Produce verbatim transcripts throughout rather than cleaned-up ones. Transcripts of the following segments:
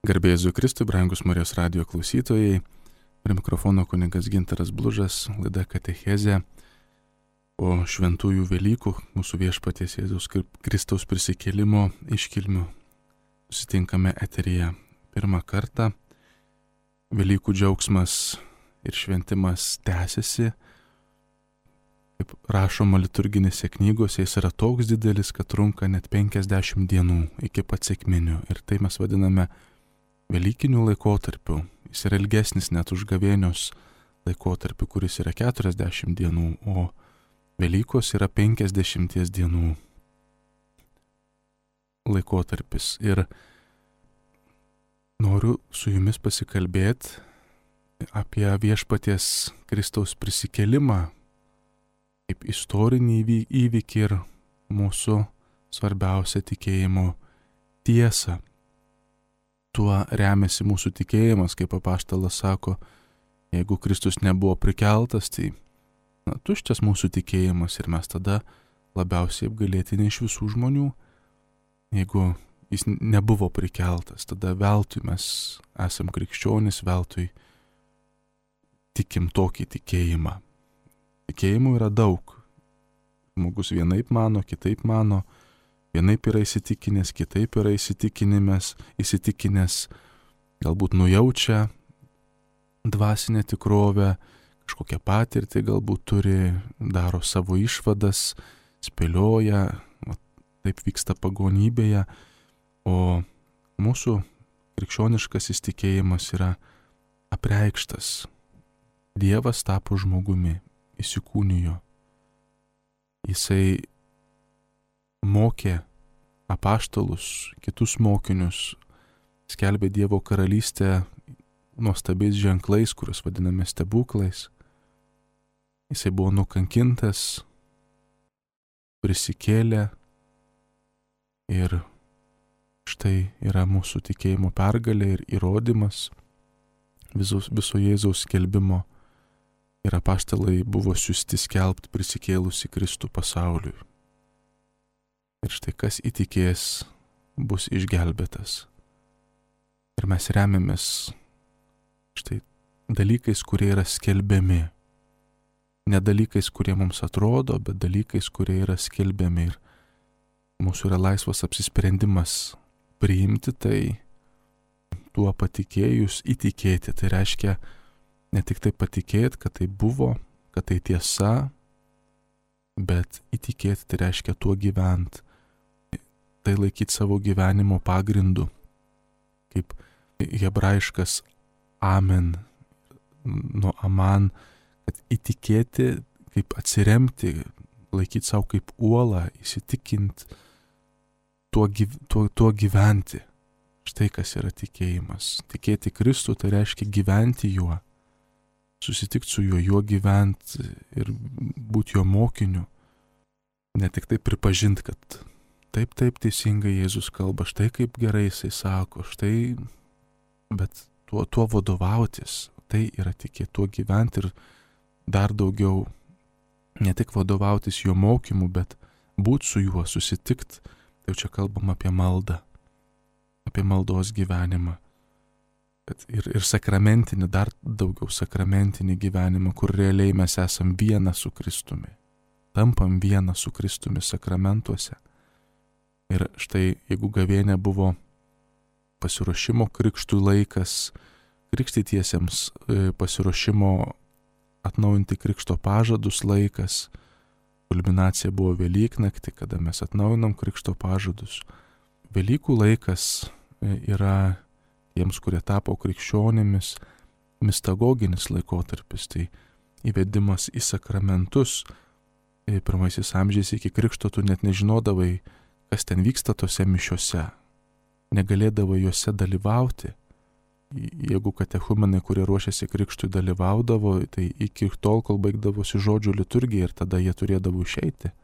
Garbė Jėzui Kristui, brangus Marijos radijo klausytojai, prie mikrofono kunigas Gintaras Blužas, laida Katechezė. Po šventųjų Velykų, mūsų viešpaties Jėzaus Kristaus prisikėlimo iškilmių susitinkame eteryje pirmą kartą. Velykų džiaugsmas ir šventimas tęsiasi. Kaip rašoma liturginėse knygose, jis yra toks didelis, kad trunka net penkiasdešimt dienų iki pat sekminių. Ir tai mes vadiname Velykinių laikotarpių. Jis yra ilgesnis net už gavėnios laikotarpį, kuris yra keturiasdešimt dienų, o Velykos yra penkiasdešimties dienų laikotarpis. Ir noriu su jumis pasikalbėti apie viešpaties Kristaus prisikėlimą kaip istorinį įvykį ir mūsų svarbiausią tikėjimo tiesą. Tuo remiasi mūsų tikėjimas, kaip apaštalas sako, jeigu Kristus nebuvo prikeltas, tai na, tuščias mūsų tikėjimas ir mes tada labiausiai apgailėtini iš visų žmonių. Jeigu jis nebuvo prikeltas, tada veltui mes esam krikščionys, veltui tikim tokį tikėjimą. Tikėjimų yra daug. Žmogus vienaip mano, kitaip mano. Vienaip yra įsitikinęs, kitaip yra įsitikinęs, įsitikinęs, galbūt nujaučia dvasinę tikrovę, kažkokią patirtį galbūt turi, daro savo išvadas, spėlioja, taip vyksta pagonybėje, o mūsų krikščioniškasis tikėjimas yra apreikštas. Dievas tapo žmogumi, įsikūnijo. Jisai mokė apaštalus, kitus mokinius, skelbė Dievo karalystę nuostabiais ženklais, kuriuos vadiname stebuklais. Jisai buvo nukankintas, prisikėlė ir štai yra mūsų tikėjimo pergalė ir įrodymas viso, viso Jėzaus skelbimo. Ir apaštalai buvo siųsti skelbti prisikėlusi Kristų pasauliui. Ir štai kas įtikės, bus išgelbėtas. Ir mes remiamės štai dalykais, kurie yra skelbiami. Ne dalykais, kurie mums atrodo, bet dalykais, kurie yra skelbiami. Ir mūsų yra laisvas apsisprendimas priimti tai, tuo patikėjus įtikėti. Tai reiškia ne tik tai patikėti, kad tai buvo, kad tai tiesa, bet įtikėti tai reiškia tuo gyventi. Tai laikyti savo gyvenimo pagrindu, kaip hebrajiškas amen, nuo aman, kad įtikėti, kaip atsiremti, laikyti savo kaip uolą, įsitikinti, tuo, gyv, tuo, tuo gyventi. Štai kas yra tikėjimas. Tikėti Kristų tai reiškia gyventi juo, susitikti su juo, juo gyventi ir būti jo mokiniu. Ne tik tai pripažinti, kad taip, taip teisingai Jėzus kalba, štai kaip gerai jisai sako, štai, bet tuo, tuo vadovautis, tai yra tikėti, tuo gyventi ir dar daugiau, ne tik vadovautis jo mokymu, bet būti su juo, susitikti, tai čia kalbam apie maldą, apie maldos gyvenimą. Bet ir, ir sakramentinį, dar daugiau sakramentinį gyvenimą, kur realiai mes esam viena su Kristumi, tampam viena su Kristumi sakramentuose. Ir štai, jeigu gavėnė buvo pasiruošimo krikštui laikas, krikštytiesiems pasiruošimo atnaujinti krikšto pažadus laikas, kulminacija buvo Velyknaktį, kada mes atnaujinam krikšto pažadus. Velykų laikas yra tiems, kurie tapo krikščionimis, mistagoginis laikotarpis, tai įvedimas į sakramentus. Pirmaisiais amžiais iki krikšto tu net nežinodavai, kas ten vyksta tose mišiose, negalėdavo juose dalyvauti. Jeigu katechumenai, kurie ruošiasi krikštui, dalyvaudavo, tai iki tol, kol baigdavosi žodžių liturgija ir tada jie turėdavo išeiti.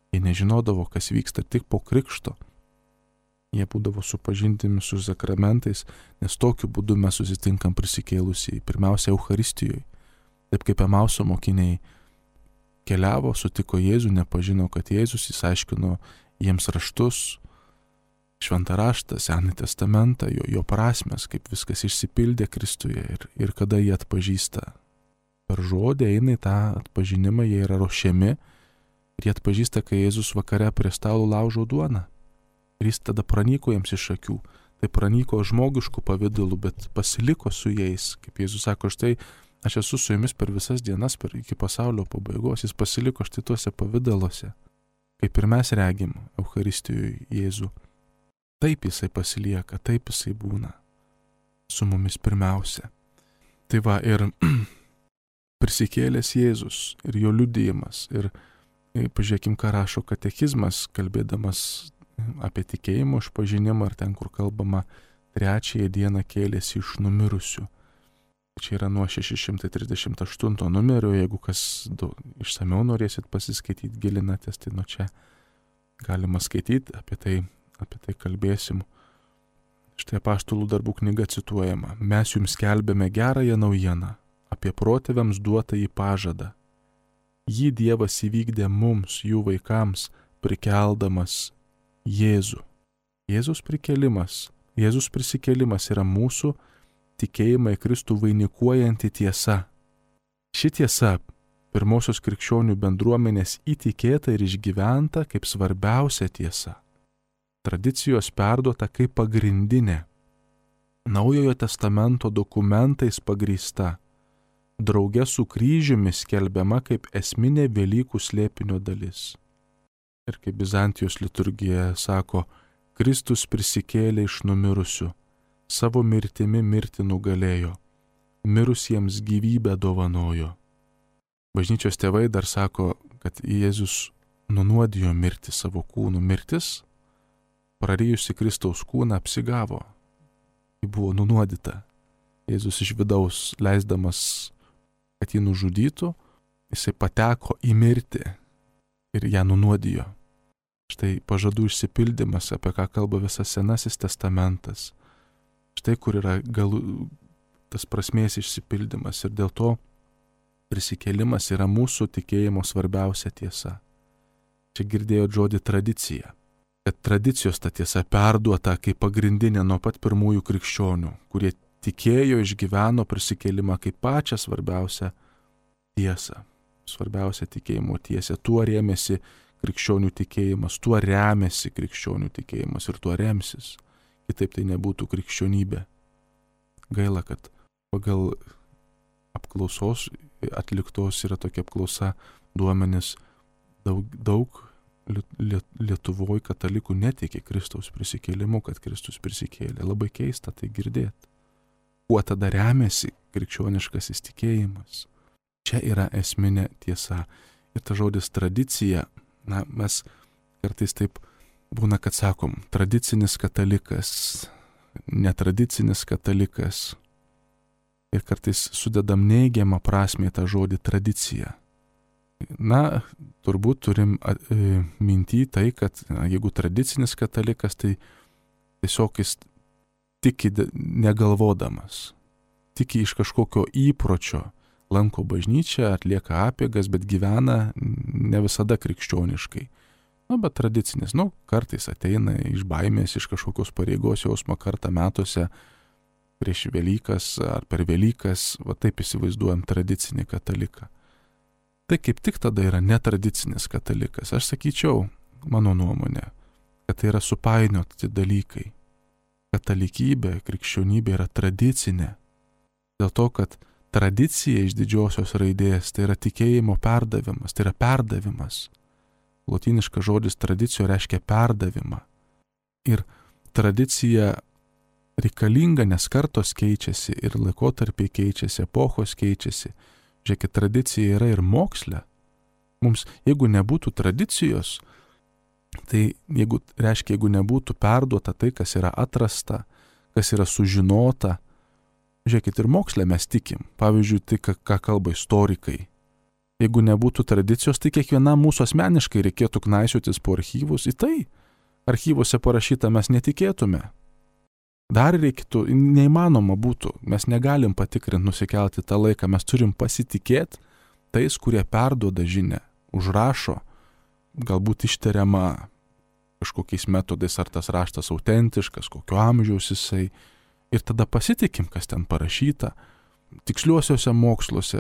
Jie nežinodavo, kas vyksta tik po krikšto. Jie būdavo supažindimi su sakramentais, nes tokiu būdu mes susitinkam prisikėlusiai, pirmiausia Eucharistijoje. Taip kaip Emauso mokiniai keliavo, sutiko Jėzų, nepažino, kad Jėzus, jis aiškino jiems raštus, šventą raštą, Senąjį testamentą, jo, jo prasmes, kaip viskas išsipildė Kristuje ir, ir kada jie atpažįsta. Per žodį eina į tą atpažinimą, jie yra ruošiami ir jie atpažįsta, kai Jėzus vakare prie stalo laužo duoną. Ir jis tada pranyko jiems iš akių. Tai pranyko žmogiškų pavydalų, bet pasiliko su jais. Kaip Jėzus sako, štai aš esu su jumis per visas dienas, per iki pasaulio pabaigos. Jis pasiliko štai tuose pavydaluose. Kaip ir mes regim Eucharistijoje Jėzų. Taip jisai pasilieka, taip jisai būna su mumis pirmiausia. Tai va ir prisikėlęs Jėzus ir jo liudijimas. Ir, ir pažiūrėkim, ką rašo katekizmas, kalbėdamas apie tikėjimo išpažinimą, ar ten, kur kalbama trečiąją dieną kėlėsi iš numirusių. Čia yra nuo šeši šimtai trisdešimt aštunto numerio, jeigu kas daug, išsamiau norėsit pasiskaityti, gilinatės, tai nuo čia galima skaityti, apie tai, apie tai kalbėsim. Štai apaštalų darbų knyga cituojama. Mes jums skelbėme gerąją naujieną apie protėviams duotąjį pažadą. Jį Dievas įvykdė mums, jų vaikams, prikeldamas Jėzų. Jėzus prikėlimas, Jėzus prisikėlimas yra mūsų tikėjimą į Kristų vainikuojanti tiesa. Ši tiesa pirmosios krikščionių bendruomenės įtikėta ir išgyventa kaip svarbiausia tiesa. Tradicijos perduota kaip pagrindinė, Naujojo testamento dokumentais pagrįsta, drauge su kryžiumi skelbiama kaip esminė Velykų slėpinio dalis. Ir kaip Bizantijos liturgija sako, Kristus prisikėlė iš numirusių, savo mirtimi mirtį nugalėjo, mirusiems gyvybę dovanojo. Bažnyčios tėvai dar sako, kad Jėzus nunuodijo mirtį savo kūnu. Mirtis, prarijusi Kristaus kūną, apsigavo. Ji buvo nunuodyta. Jėzus iš vidaus leisdamas, kad jį nužudytų, jisai pateko į mirtį ir ją nunuodijo. Štai pažadų išsipildymas, apie ką kalba visas Senasis testamentas. Štai kur yra galų, tas prasmės išsipildymas ir dėl to prisikėlimas yra mūsų tikėjimo svarbiausia tiesa. Čia girdėjot žodį tradicija. Kad tradicijos ta tiesa perduota kaip pagrindinė nuo pat pirmųjų krikščionių, kurie tikėjo, išgyveno prisikėlimą kaip pačią svarbiausią tiesą. Svarbiausia tikėjimo tiesė. Tuo rėmėsi krikščionių tikėjimas, tuo remiasi krikščionių tikėjimas ir tuo remsis. Kitaip tai nebūtų krikščionybė. Gaila, kad pagal apklausos atliktos yra tokia apklausa duomenis daug, daug Lietuvoje katalikų netiki Kristaus prisikėlimu, kad Kristus prisikėlė. Labai keista tai girdėti. Kuo tada remiasi krikščioniškasis tikėjimas? Čia yra esminė tiesa. Ir ta žodis tradicija, na, mes kartais taip būna, kad sakom, tradicinis katalikas, netradicinis katalikas. Ir kartais sudedam neigiamą prasmę tą žodį tradicija. Na, turbūt turim e, minty tai, kad na, jeigu tradicinis katalikas, tai tiesiog jis tiki negalvodamas, tiki iš kažkokio įpročio, lanko bažnyčią, atlieka apeigas, bet gyvena ne visada krikščioniškai. Na, bet tradicinis, nu, kartais ateina iš baimės, iš kažkokios pareigos jausmo kartą metuose, prieš Velykas ar per Velykas, va taip įsivaizduojam tradicinį kataliką. Tai kaip tik tada yra netradicinis katalikas. Aš sakyčiau, mano nuomonė, kad tai yra supainioti dalykai. Katalikybė, krikščionybė yra tradicinė. Dėl to, kad tradicija iš didžiosios raidės tai yra tikėjimo perdavimas, tai yra perdavimas. Lotyniškas žodis tradicijo reiškia perdavimą. Ir tradicija reikalinga, nes kartos keičiasi ir laikotarpiai keičiasi, epochos keičiasi. Žiūrėkit, tradicija yra ir moksle. Mums, jeigu nebūtų tradicijos, tai jeigu, reiškia, jeigu nebūtų perduota tai, kas yra atrasta, kas yra sužinota, žiūrėkit, ir moksle mes tikim. Pavyzdžiui, tai, ką, ką kalba istorikai. Jeigu nebūtų tradicijos, tai kiekvienam mūsų asmeniškai reikėtų knaisiotis po archyvus. Į tai archyvuose parašyta mes netikėtume. Dar reikėtų, neįmanoma būtų, mes negalim patikrinti, nusikelti tą laiką, mes turim pasitikėti tais, kurie perduoda žinią, užrašo, galbūt ištariama kažkokiais metodais, ar tas raštas autentiškas, kokio amžiaus jisai. Ir tada pasitikim, kas ten parašyta. Tiksliuosiuose moksluose,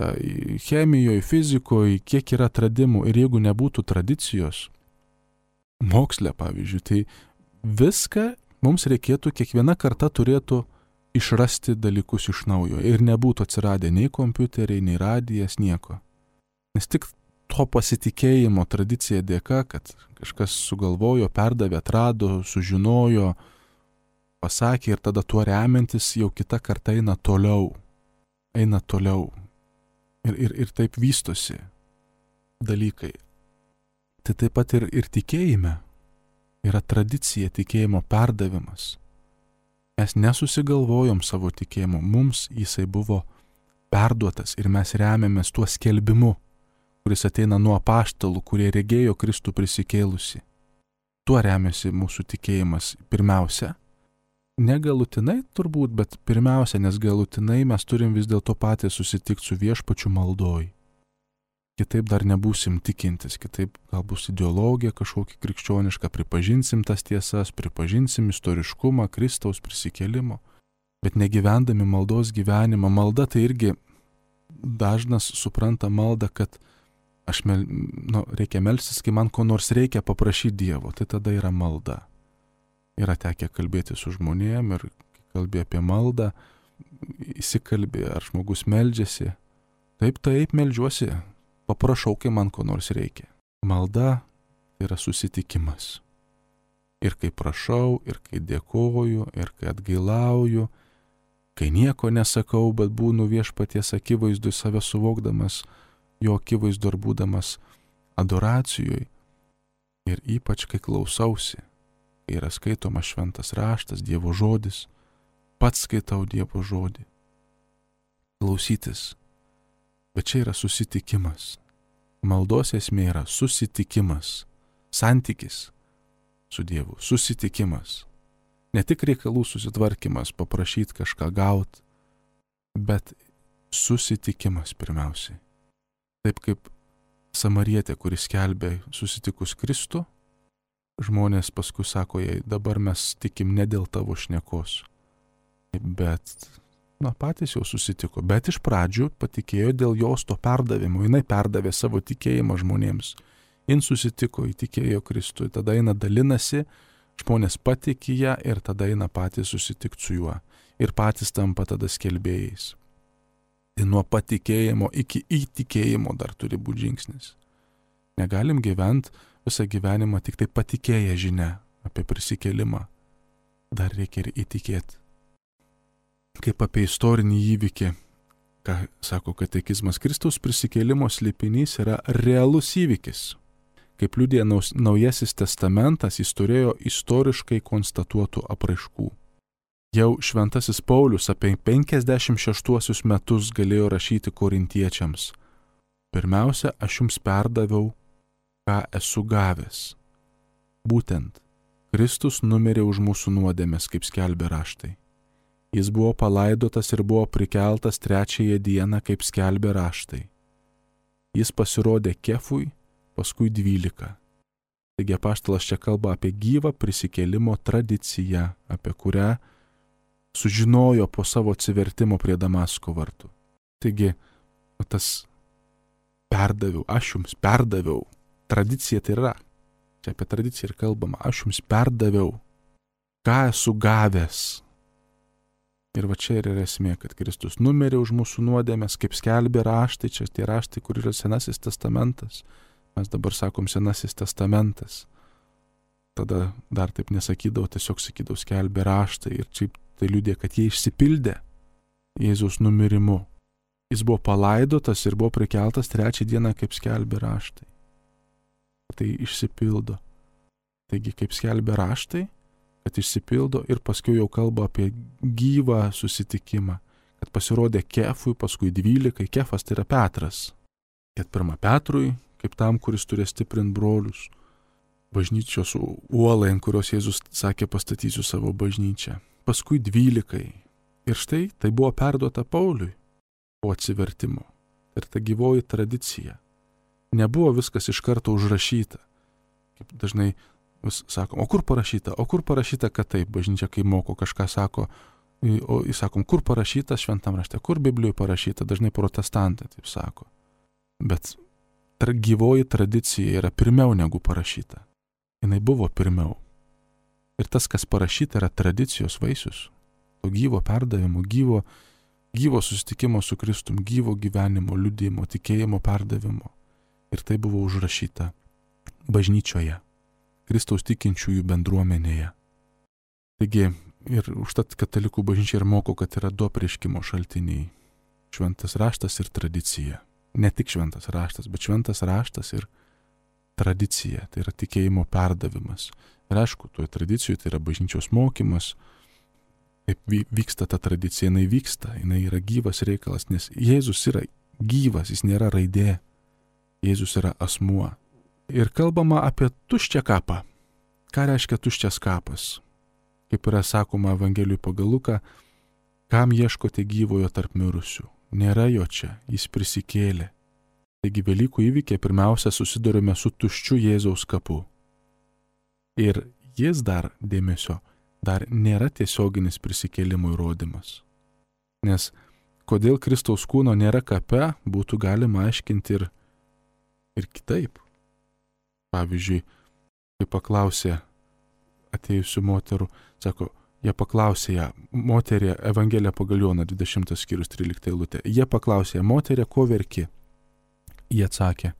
chemijoje, fizikoje, kiek yra atradimų. Ir jeigu nebūtų tradicijos, moksle pavyzdžiui, tai viską mums reikėtų, kiekviena karta turėtų išrasti dalykus iš naujo. Ir nebūtų atsiradę nei kompiuteriai, nei radijas, nieko. Nes tik to pasitikėjimo tradicija dėka, kad kažkas sugalvojo, perdavė, atrado, sužinojo, pasakė ir tada tuo remiantis jau kita karta eina toliau. Eina toliau. Ir, ir, ir taip vystosi dalykai. Tai taip pat ir, ir tikėjime yra tradicija, tikėjimo perdavimas. Mes nesusigalvojom savo tikėjimo, mums jisai buvo perduotas ir mes remiamės tuo skelbimu, kuris ateina nuo apaštalų, kurie regėjo Kristų prisikėlusi. Tuo remiasi mūsų tikėjimas pirmiausia. Negalutinai turbūt, bet pirmiausia, nes galutinai mes turim vis dėlto patys susitikti su viešpačiu maldoj. Kitaip dar nebūsim tikintis, kitaip gal bus ideologija kažkokia krikščioniška, pripažinsim tas tiesas, pripažinsim istoriškumą, Kristaus prisikėlimo, bet negyvendami maldos gyvenimą. Malda tai irgi dažnas supranta maldą, kad aš mel, nu, reikia melstis, kai man ko nors reikia paprašyti Dievo, tai tada yra malda. Yra tekę kalbėti su žmonėm ir kalbė apie maldą, įsikalbė, ar žmogus meldžiasi. Taip, taip, meldžiuosi, paprašau, kai man ko nors reikia. Malda yra susitikimas. Ir kai prašau, ir kai dėkoju, ir kai atgailauju, kai nieko nesakau, bet būnu viešpaties akivaizdui save suvokdamas, jo akivaizdu ir būdamas adoracijoje. Ir ypač kai klausausi. Yra skaitomas šventas raštas, Dievo žodis, pats skaitau Dievo žodį. Klausytis. Bet čia yra susitikimas. Maldos esmė yra susitikimas, santykis su Dievu, susitikimas. Ne tik reikalų susitvarkymas, paprašyti kažką gauti, bet susitikimas pirmiausiai. Taip kaip samarietė, kuris skelbė susitikus Kristų, žmonės paskui sako jai, dabar mes tikim ne dėl tavo šnekos, bet, na, patys jau susitiko, bet iš pradžių patikėjo dėl jos to perdavimo, jinai perdavė savo tikėjimą žmonėms, jin susitiko, įtikėjo Kristui, tada eina dalinasi, žmonės patikė ją ir tada eina patys susitikti su juo ir patys tampa tada skelbėjais. Tai nuo patikėjimo iki įtikėjimo dar turi būti žingsnis. Negalim gyventi visą gyvenimą tik tai patikėję žinia apie prisikėlimą. Dar reikia ir įtikėti. Kaip apie istorinį įvykį, ką sako katekizmas, Kristaus prisikėlimo slėpinys yra realus įvykis. Kaip liudija Naujasis testamentas, jis turėjo istoriškai konstatuotų apraiškų. Jau šventasis Paulius apie penkiasdešimt šeštuosius metus galėjo rašyti korintiečiams. Pirmiausia, aš jums perdaviau, ką esu gavęs. Būtent, Kristus numirė už mūsų nuodėmes, kaip skelbė raštai. Jis buvo palaidotas ir buvo prikeltas trečiąją dieną, kaip skelbė raštai. Jis pasirodė Kefui, paskui dvylika. Taigi apaštalas čia kalba apie gyvą prisikėlimo tradiciją, apie kurią sužinojo po savo atsivertimo prie Damasko vartų. Taigi, tas perdaviau, aš jums perdaviau. Tradicija tai yra. Čia apie tradiciją ir kalbama. Aš jums perdaviau, ką esu gavęs. Ir va čia ir yra esmė, kad Kristus numirė už mūsų nuodėmes, kaip skelbė raštai, čia tie raštai, kur yra Senasis testamentas. Mes dabar sakom Senasis testamentas. Tada dar taip nesakydavau, tiesiog sakydavau skelbė raštai ir čia tai liudė, kad jie išsipildė Jėzaus numirimu. Jis buvo palaidotas ir buvo prikeltas trečią dieną, kaip skelbė raštai. Tai išsipildo. Taigi, kaip skelbė raštai, kad išsipildo ir paskui jau kalba apie gyvą susitikimą, kad pasirodė Kefui, paskui dvylikai, Kefas tai yra Petras. Kad pirma Petrui, kaip tam, kuris turi stiprinti brolius, bažnyčios uolai, ant kurios Jėzus sakė, pastatysiu savo bažnyčią. Paskui dvylikai. Ir štai tai buvo perduota Pauliui po atsivertimo. Ir ta gyvoji tradicija. Nebuvo viskas iš karto užrašyta. Kaip dažnai vis sakom, o kur parašyta, o kur parašyta, kad taip, bažnyčia, kai moko kažką sako, o įsakom, kur parašyta šventam rašte, kur Biblijoje parašyta, dažnai protestantai taip sako. Bet tra, gyvoji tradicija yra pirmiau negu parašyta. Jinai buvo pirmiau. Ir tas, kas parašyta, yra tradicijos vaisius. To gyvo perdavimo, gyvo, gyvo susitikimo su Kristum, gyvo gyvenimo, liudijimo, tikėjimo perdavimo. Ir tai buvo užrašyta bažnyčioje, Kristaus tikinčiųjų bendruomenėje. Taigi, ir užtat katalikų bažnyčia ir moko, kad yra du apreiškimo šaltiniai. Šventas raštas ir tradicija. Ne tik šventas raštas, bet šventas raštas ir tradicija. Tai yra tikėjimo perdavimas. Ir aišku, toje tradicijoje tai yra bažnyčios mokymas. Kaip vyksta ta tradicija, jinai vyksta, jinai yra gyvas reikalas, nes Jėzus yra gyvas, jis nėra raidė. Jėzus yra asmuo. Ir kalbama apie tuščią kapą. Ką reiškia tuščias kapas? Kaip yra sakoma Evangelijoje pagal Luką, kam ieškote gyvojo tarp mirusių? Nėra jo čia, jis prisikėlė. Taigi Velykų įvykiai pirmiausia susidurime su tuščiu Jėzaus kapu. Ir jis dar, dėmesio, dar nėra tiesioginis prisikėlimo įrodymas. Nes kodėl Kristaus kūno nėra kape, būtų galima aiškinti ir, ir kitaip. Pavyzdžiui, kai paklausė atėjusių moterų, sako, jie paklausė ją, moterė, Evangelija pagal Joną, dvidešimtas skyrius, trylikta eilutė, jie paklausė, moterė, ko verki? Jie atsakė,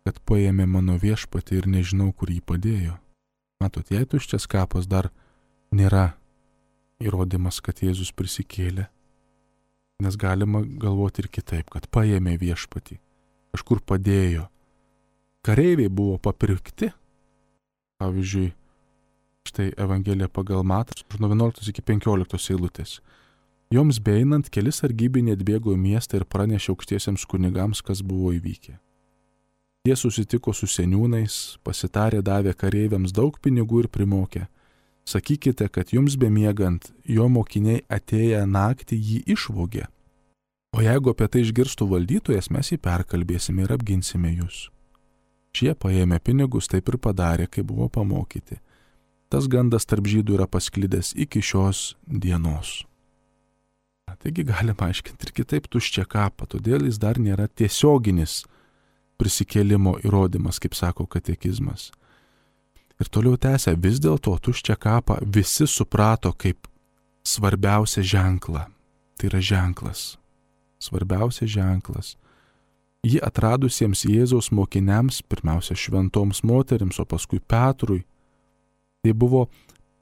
kad paėmė mano viešpatį ir nežinau, kur jį padėjo. Matot, jei tuščias kapas dar nėra įrodymas, kad Jėzus prisikėlė, nes galima galvoti ir kitaip, kad paėmė viešpatį, kažkur padėjo. Kareiviai buvo papirkti. Pavyzdžiui, štai Evangelija pagal Matą, nuo vienuoliktos iki penkioliktos eilutės. Joms beeinant, keli sargybiniai atbėgo į miestą ir pranešė aukštiesiems kunigams, kas buvo įvykę. Jie susitiko su seniūnais, pasitarė, davė kareiviams daug pinigų ir primokė. Sakykite, kad jums bemiegant, jo mokiniai atėję naktį jį išvogė. O jeigu apie tai išgirstų valdytojas, mes jį perkalbėsime ir apginsime jūs. Šie paėmė pinigus, taip ir padarė, kai buvo pamokyti. Tas gandas tarp žydų yra pasklidęs iki šios dienos. Taigi galima aiškinti ir kitaip tuščią kapą, todėl jis dar nėra tiesioginis prisikėlimo įrodymas, kaip sako katekizmas. Ir toliau tęsia, vis dėlto tuščią kapą visi suprato kaip svarbiausią ženklą. Tai yra ženklas. Svarbiausias ženklas. Jį atradusiems Jėzaus mokiniams, pirmiausia šventoms moterims, o paskui Petrui, tai buvo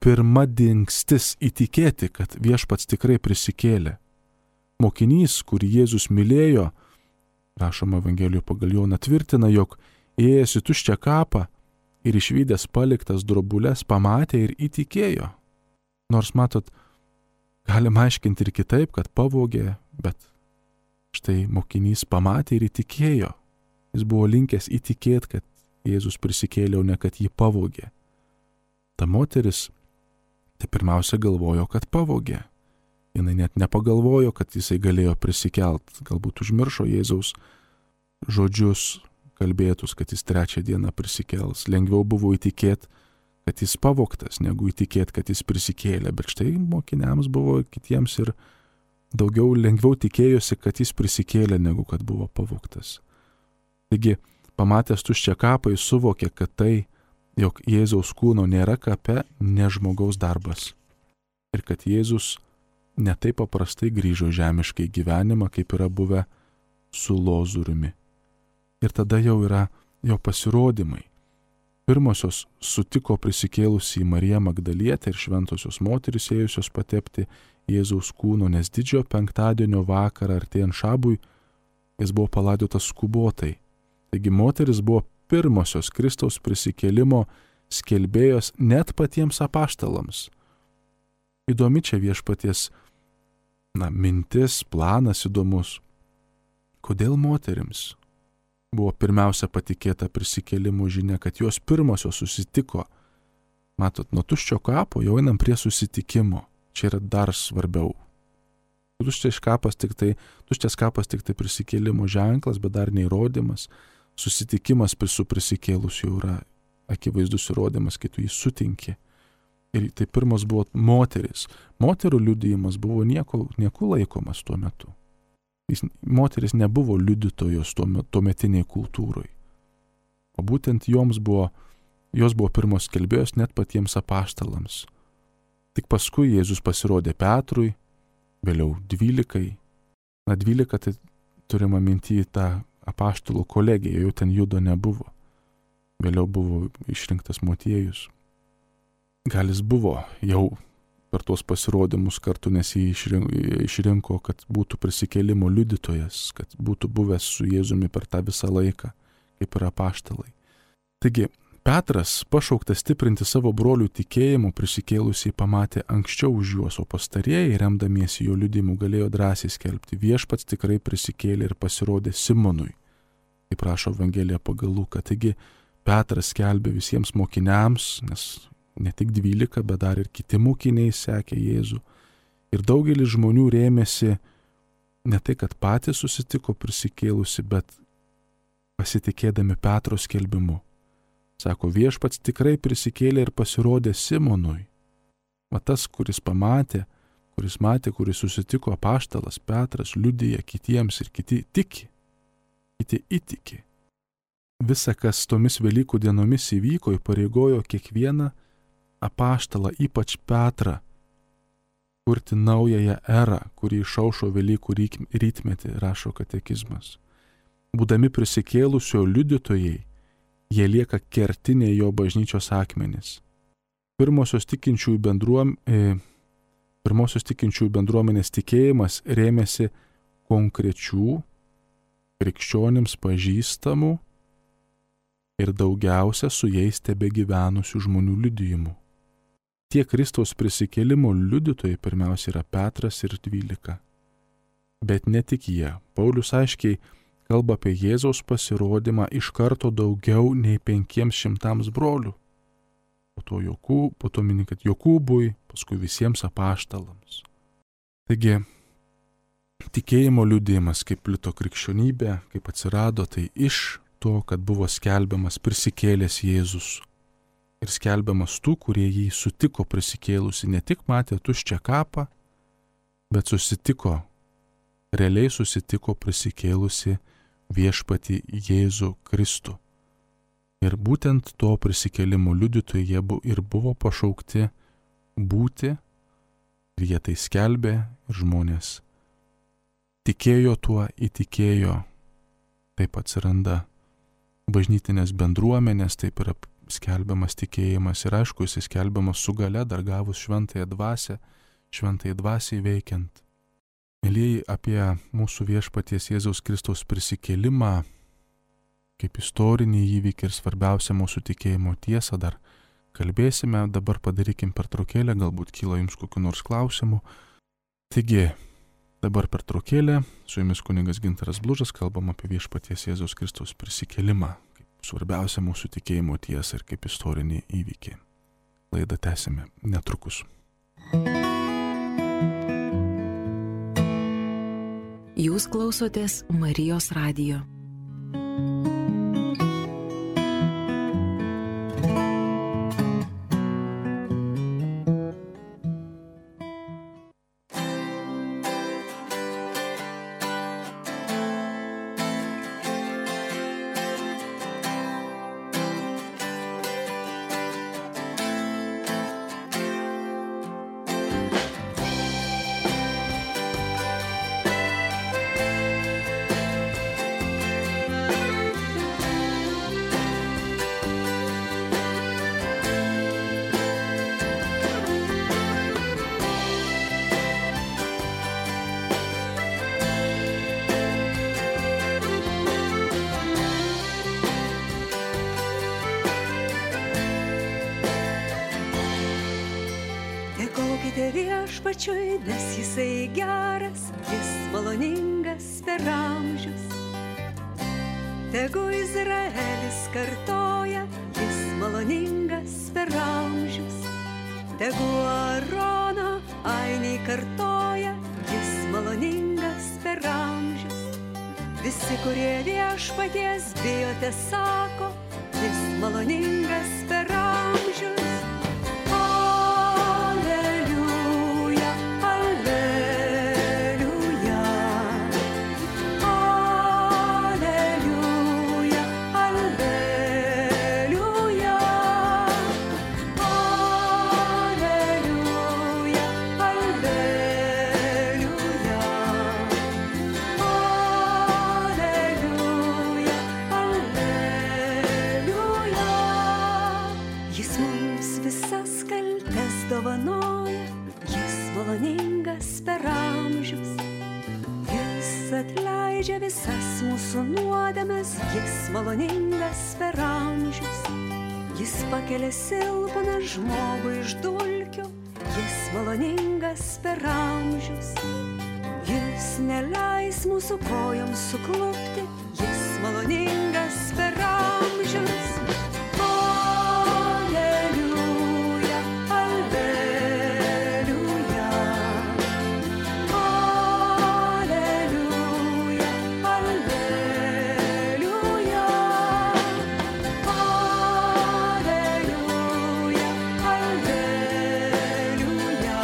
pirma dingstis įtikėti, kad viešpats tikrai prisikėlė. Mokinys, kurį Jėzus mylėjo, rašoma Evangelijoje pagal Joną, tvirtina, jog ėjęs į tuščią kapą ir išvydęs paliktas drobulės pamatė ir įtikėjo. Nors matot, galima aiškinti ir kitaip, kad pavogė, bet štai mokinys pamatė ir įtikėjo. Jis buvo linkęs įtikėti, kad Jėzus prisikėlė, o ne kad jį pavogė. Ta moteris tai pirmiausia galvojo, kad pavogė. Jinai net nepagalvojo, kad jisai galėjo prisikelt. Galbūt užmiršo Jėzaus žodžius kalbėtus, kad jis trečią dieną prisikels. Lengviau buvo įtikėti, kad jis pavogtas, negu įtikėti, kad jis prisikėlė. Bet štai mokiniams buvo kitiems ir daugiau lengviau tikėjosi, kad jis prisikėlė, negu kad buvo pavogtas. Taigi, pamatęs tuščią kapą, jis suvokė, kad tai, jog Jėzaus kūno nėra kape, ne žmogaus darbas. Ir kad Jėzus ne taip paprastai grįžo žemiškai gyvenimą, kaip yra buvę su Lozoriumi. Ir tada jau yra jo pasirodymai. Pirmosios sutiko prisikėlusį Mariją Magdalietę ir šventosios moterys ėjusios patepti Jėzaus kūno, nes didžiojo penktadienio vakarą artėjant šabui jis buvo palaidotas skubotai. Taigi moteris buvo pirmosios Kristaus prisikėlimo skelbėjos net patiems apaštalams. Įdomi čia viešpaties na, mintis, planas įdomus. Kodėl moterims buvo pirmiausia patikėta prisikėlimo žinia, kad jos pirmosios susitiko? Matot, nuo tuščio kapo jau einam prie susitikimo. Čia yra dar svarbiau. Tuščias kapas tik tai, tuščias kapas tik tai prisikėlimo ženklas, bet dar neįrodymas. Susitikimas su prisikėlusiu yra akivaizdus įrodymas, kai tu jį sutinki. Ir tai pirmas buvo moteris. Moterų liudijimas buvo nieko, nieko laikomas tuo metu. Jis, moteris nebuvo liudytojos tuo, tuometiniai kultūrai. O būtent joms buvo, jos buvo pirmos skelbėjos net patiems apaštalams. Tik paskui Jėzus pasirodė Petrui, vėliau dvylikai. Na, dvylika tai turima minti tą apaštalų kolegiją, jau ten Judo nebuvo. Vėliau buvo išrinktas Motiejus. Gal jis buvo jau per tuos pasirodymus kartu, nes jį išrinko, kad būtų prisikėlimo liudytojas, kad būtų buvęs su Jėzumi per tą visą laiką, kaip ir apaštalai. Taigi, Petras, pašauktas stiprinti savo brolių tikėjimu, prisikėlusiai pamatė anksčiau už juos, o pastarieji, remdamiesi jo liudijimu, galėjo drąsiai skelbti: viešpats tikrai prisikėlė ir pasirodė Simonui, kaip rašo Evangelija pagal Luką. Taigi, Petras skelbė visiems mokiniams, nes ne tik dvylika, bet dar ir kiti mokiniai sekė Jėzų. Ir daugelis žmonių rėmėsi ne tai, kad patys susitiko prisikėlusi, bet pasitikėdami Petro skelbimu. Sako, viešpats tikrai prisikėlė ir pasirodė Simonui. O tas, kuris pamatė, kuris matė, kuris susitiko apaštalas Petras, liudija kitiems ir kiti tiki, kiti įtiki. Visa, kas tomis Velykų dienomis įvyko, įpareigojo kiekvieną apaštalą, ypač Petrą, kurti naująją erą, kuri išaušo Velykų rytmetį, rašo katekizmas. Būdami prisikėlusio liudytojai, jie lieka kertiniai jo bažnyčios akmenys. Pirmosios tikinčiųjų, bendruom, e, pirmosios tikinčiųjų bendruomenės tikėjimas rėmėsi konkrečių, krikščionims pažįstamų ir daugiausia su jais tebegyvenusių žmonių liudijimų. Tie Kristaus prisikėlimo liudytojai pirmiausia yra Petras ir dvylika. Bet ne tik jie. Paulius aiškiai kalba apie Jėzaus pasirodymą iš karto daugiau nei penkiems šimtams brolių. Po to, Jokūb, po to mini, kad Jokūbui, paskui visiems apaštalams. Taigi, tikėjimo liudijimas, kaip plito krikščionybė, kaip atsirado, tai iš to, kad buvo skelbiamas prisikėlęs Jėzus. Ir skelbiamas tų, kurie jį sutiko prisikėlusi, ne tik matė tuščią kapą, bet susitiko, realiai susitiko prisikėlusi viešpatį Jėzų Kristų. Ir būtent to prisikėlimo liudytojai jie ir buvo pašaukti būti, ir jie tai skelbė, ir žmonės tikėjo tuo, įtikėjo. Taip atsiranda bažnytinės bendruomenės, taip yra skelbiamas tikėjimas ir aišku, jis skelbiamas su gale, dar gavus šventąją dvasią, šventąją dvasiai veikiant. Mielieji, apie mūsų viešpaties Jėzaus Kristaus prisikėlimą, kaip istorinį įvykį ir svarbiausia mūsų tikėjimo tiesą dar kalbėsime. Dabar padarykim pertraukėlę, galbūt kyla jums kokių nors klausimų. Taigi, dabar pertraukėlė, su jumis kunigas Gintaras Blužas, kalbam apie viešpaties Jėzaus Kristaus prisikėlimą, kaip svarbiausia mūsų tikėjimo tiesą ir kaip istorinį įvykį. Laidą tęsime netrukus. Jūs klausotės Marijos radijo. Viešpačiui, nes jisai geras, jis maloningas per amžius. Tegu Izraelis kartoja, jis maloningas per amžius. Tegu Arono ainiai kartoja, jis maloningas per amžius. Visi, kurie viešpaties bijote, sako, jis maloningas per amžius. Aleliuja, aleliuja, aleliuja, aleliuja, aleliuja, aleliuja, aleliuja, aleliuja. Jis mums visas kaltes dovanoja, jis maloningas per amžius. Jis atleidžia visas mūsų nuodėmes, jis maloningas per amžius. Jis pakelia silpną žmogų iš dulkių, jis maloningas per amžius. Jis neleis mūsų kojoms suklupti, jis maloningas per amžius. Aleliuja, aleliuja, aleliuja, aleliuja, aleliuja,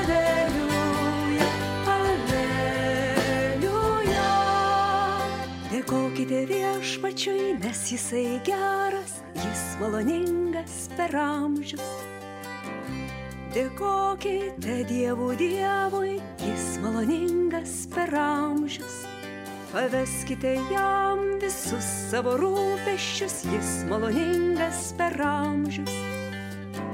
aleliuja, aleliuja, aleliuja. Dėkokite Viešpačiui, nes jisai geras, jis maloningas per amžius. Dėkokite Dievų Dievui, jis maloningas per amžius. Paveskite jam visus savo rūpesčius, jis maloningas per amžius.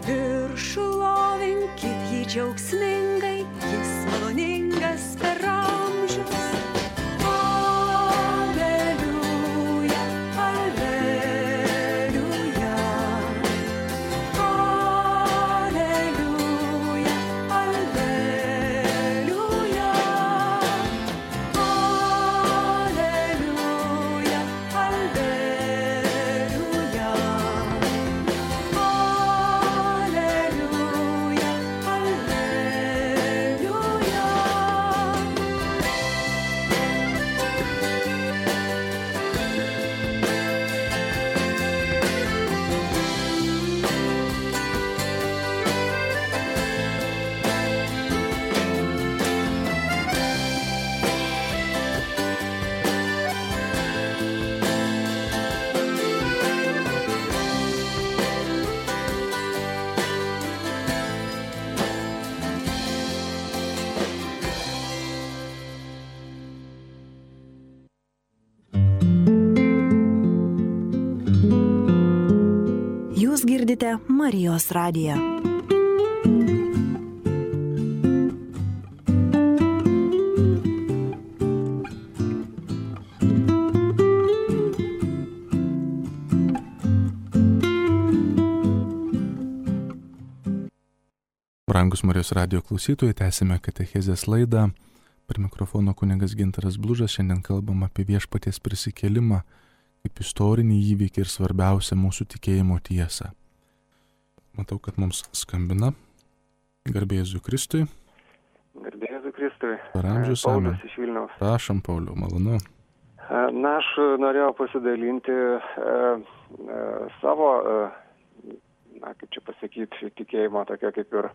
Ir šlovinkit jį džiaugsmingai, jis maloningas per amžius. Aleliuja, aleliuja, aleliuja, aleliuja, aleliuja, aleliuja, aleliuja, aleliuja. Jūs girdite Marijos radiją. Brangus Marijos radijo klausytojai, tęsime katechezės laidą. Prie mikrofono kunigas Gintaras Blužas. Šiandien kalbam apie Viešpaties prisikėlimą kaip istorinį įvykį ir svarbiausią mūsų tikėjimo tiesą. Matau, kad mums skambina. Garbė Jėzui Kristui. Garbė Jėzui Kristui. Per amžius. Amen. Paulius iš Vilniaus. Prašom, Pauliau, malonu. Na, aš norėjau pasidalinti e, e, savo, e, na, kaip čia pasakyti, tikėjimo tokia kaip ir e,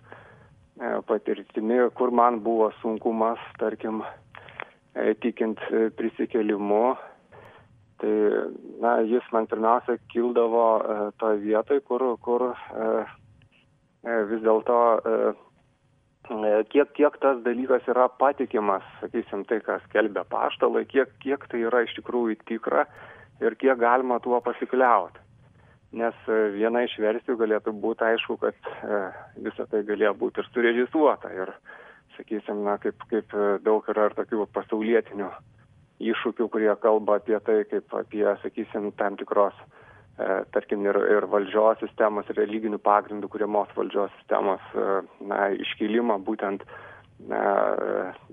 patirtimi, kur man buvo sunkumas, tarkim, e, tikint e, prisikėlimu. Tai, na, jis man pirmiausia kildavo e, toje vietoje, kur, kur e, e, vis dėlto e, kiek, kiek tas dalykas yra patikimas, sakysim, tai, kas skelbia apaštalai, kiek, kiek tai yra iš tikrųjų tikra ir kiek galima tuo pasikliauti. Nes e, viena iš versijų galėtų būti, aišku, kad e, visą tai galėjo būti ir surežisuota. Ir, sakysim, na, kaip, kaip daug yra ir tokių pasaulietinių iššūkių, kurie kalba apie tai, kaip apie, sakysim, tam tikros, e, tarkim, ir, ir valdžios sistemos, ir religinių pagrindų kuriamos valdžios sistemos e, na, iškilimą, būtent na,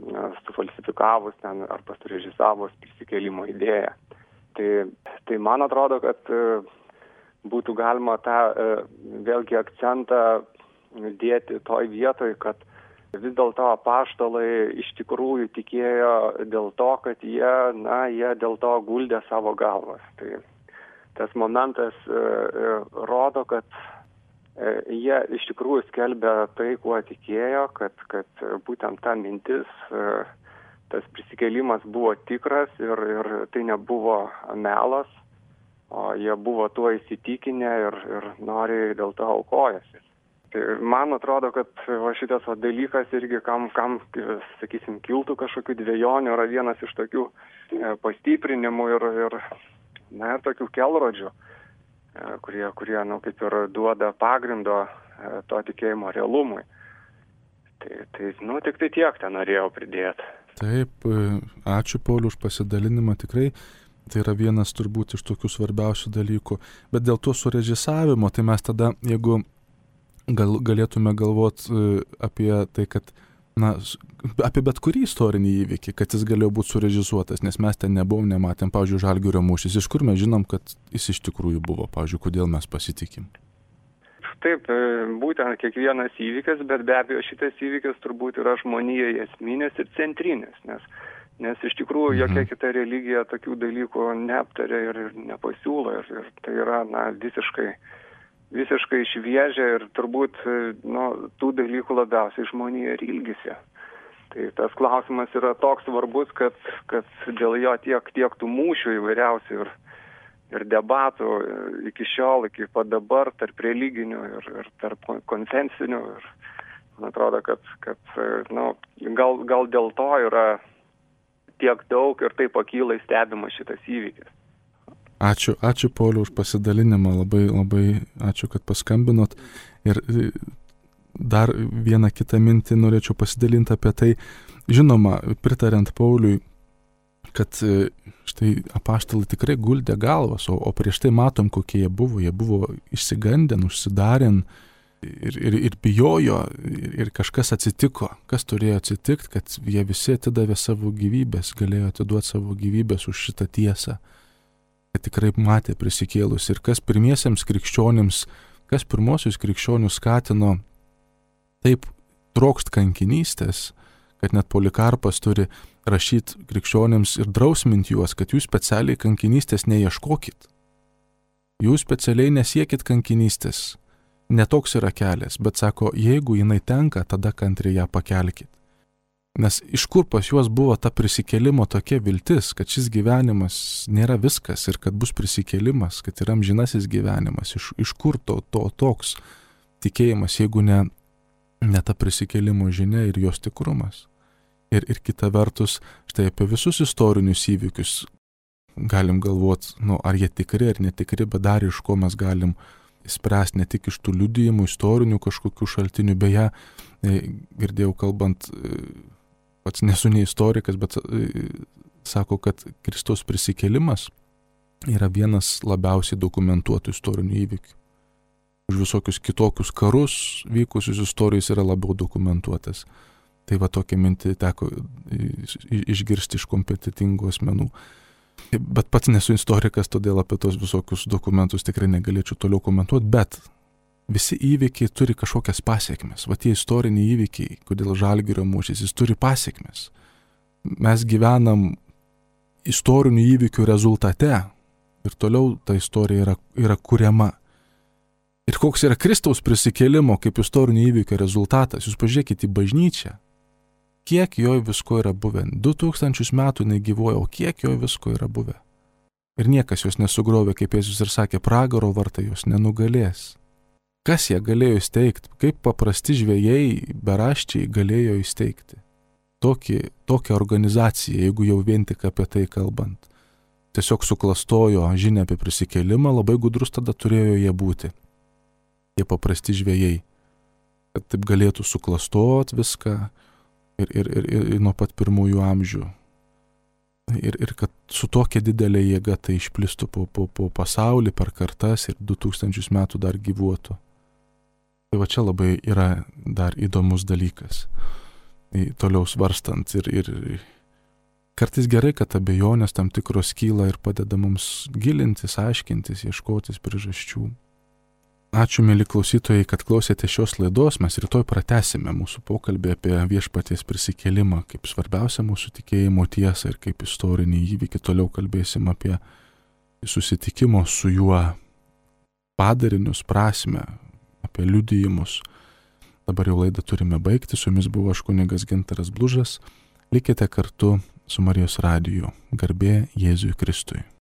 na, sufalsifikavus ten, arba surežisavus prisikėlimo idėją. Tai, tai man atrodo, kad e, būtų galima tą e, vėlgi akcentą dėti toj vietoj, kad vis dėlto apaštalai iš tikrųjų tikėjo dėl to, kad jie, na, jie dėl to guldė savo galvas. Tai tas momentas e, e, rodo, kad e, jie iš tikrųjų skelbė tai, kuo tikėjo, kad, kad būtent ta mintis, e, tas prisikėlimas buvo tikras ir, ir tai nebuvo melas, o jie buvo tuo įsitikinę ir, ir noriai dėl to aukojasi. Tai man atrodo, kad va, šitas va, dalykas irgi, kam, kam, sakysim, kiltų kažkokių dvejonių, yra vienas iš tokių e, pastiprinimų ir, ir, na, ir tokių kelrodžių, e, kurie, kurie nu, kaip ir duoda pagrindo e, to tikėjimo realumui. Tai, tai nu, tik tai tiek ten norėjau pridėti. Taip, ačiū Pauliau už pasidalinimą, tikrai. Tai yra vienas turbūt iš tokių svarbiausių dalykų. Bet dėl to surežisavimo, tai mes tada, jeigu gal, galėtume galvoti apie tai, kad, na, apie bet kurį istorinį įvykį, kad jis galėjo būti surežisuotas, nes mes ten nebuvom, nematėm, pavyzdžiui, Žalgirio mūšis. Iš kur mes žinom, kad jis iš tikrųjų buvo, pavyzdžiui, kodėl mes pasitikim? Taip, būtent kiekvienas įvykis, bet be abejo šitas įvykis turbūt yra žmonijai esminis ir centrinis, nes Nes iš tikrųjų jokia kita religija tokių dalykų neaptarė ir nepasiūlo. Ir, ir tai yra na, visiškai, visiškai šviežia ir turbūt nu, tų dalykų labiausiai žmonija ir ilgisi. Tai tas klausimas yra toks svarbus, kad, kad dėl jo tiek, tiek tų mūšių įvairiausių ir, ir debatų iki šiol, iki pat dabar, tarp religinių ir, ir tarp konfesinių. Ir man atrodo, kad, kad nu, gal, gal dėl to yra tiek daug ir taip akylai stebima šitas įvykis. Ačiū, ačiū Pauliau už pasidalinimą, labai, labai ačiū, kad paskambinot. Ir dar vieną kitą mintį norėčiau pasidalinti apie tai. Žinoma, pritariant Pauliui, kad štai apaštalai tikrai guldė galvas, o, o prieš tai matom, kokie jie buvo. Jie buvo išsigandę, užsidarę ir, ir, ir bijojo, ir, ir kažkas atsitiko. Kas turėjo atsitikti, kad jie visi atidavė savo gyvybės, galėjo atiduoti savo gyvybės už šitą tiesą, kad tikrai matė prisikėlus. Ir kas pirmiesiems krikščionims, kas pirmosius krikščionius skatino taip trokšt kankinystės, kad net Polikarpas turi rašyti krikščionims ir drausminti juos, kad jūs specialiai kankinystės neieškokit. Jūs specialiai nesiekit kankinystės. Netoks yra kelias, bet sako, jeigu jinai tenka, tada kantriai ją pakelkit. Nes iš kur pas juos buvo ta prisikėlimo tokia viltis, kad šis gyvenimas nėra viskas ir kad bus prisikėlimas, kad yra amžinasis gyvenimas. Iš, iš kur to, to toks tikėjimas, jeigu ne, ne ta prisikėlimo žinia ir jos tikrumas. Ir, ir kita vertus, štai apie visus istorinius įvykius galim galvoti, nu, ar jie tikri ar netikri, bet dar iš ko mes galim spręsti ne tik iš tų liudijimų, istorinių kažkokių šaltinių. Beje, girdėjau kalbant, pats nesu ne istorikas, bet sako, kad Kristaus prisikėlimas yra vienas labiausiai dokumentuotų istorinių įvykių. Už visokius kitokius karus vykusius istorijos yra labiau dokumentuotas. Tai va tokia mintį teko išgirsti iš kompetitingų asmenų. Bet pats nesu istorikas, todėl apie tos visokius dokumentus tikrai negalėčiau toliau komentuoti, bet visi įvykiai turi kažkokias pasiekmes. Va tie istoriniai įvykiai, kodėl Žalgirio mūšis, jis turi pasiekmes. Mes gyvenam istorinių įvykių rezultate ir toliau ta istorija yra, yra kuriama. Ir koks yra Kristaus prisikėlimo kaip istorinio įvykio rezultatas, jūs pažiūrėkite į bažnyčią. Kiek jo visko yra buvę. Du tūkstančius metų negyvoja, o kiek jo visko yra buvę. Ir niekas jos nesugrovė, kaip Jėzus ir sakė, pragaro vartai jos nenugalės. Kas ją galėjo įsteigti? Kaip paprasti žvejai, beraščiai galėjo įsteigti? Tokį, tokią organizaciją, jeigu jau vien tik apie tai kalbant. Tiesiog suklastojo žinią apie prisikėlimą, labai gudrus tada turėjo jie būti. Jie paprasti žvejai. Kad taip galėtų suklastoti viską. Ir, ir, ir, ir nuo pat pirmųjų amžių. Ir, ir kad su tokia didelė jėga tai išplistų po, po, po pasaulį per kartas ir du tūkstančius metų dar gyvuotų. Tai va čia labai yra dar įdomus dalykas. Tai toliau svarstant ir, ir kartais gerai, kad abejonės tam tikros kyla ir padeda mums gilintis, aiškintis, ieškotis priežasčių. Ačiū, mėly klausytojai, kad klausėte šios laidos. Mes rytoj pratęsime mūsų pokalbį apie viešpaties prisikėlimą kaip svarbiausią mūsų tikėjimo tiesą ir kaip istorinį įvykį. Toliau kalbėsim apie susitikimo su juo padarinius, prasmę, apie liudijimus. Dabar jau laidą turime baigti. Su jumis buvo aš kunigas Gintaras Blužas. Likite kartu su Marijos radiju. Garbė Jėzui Kristui.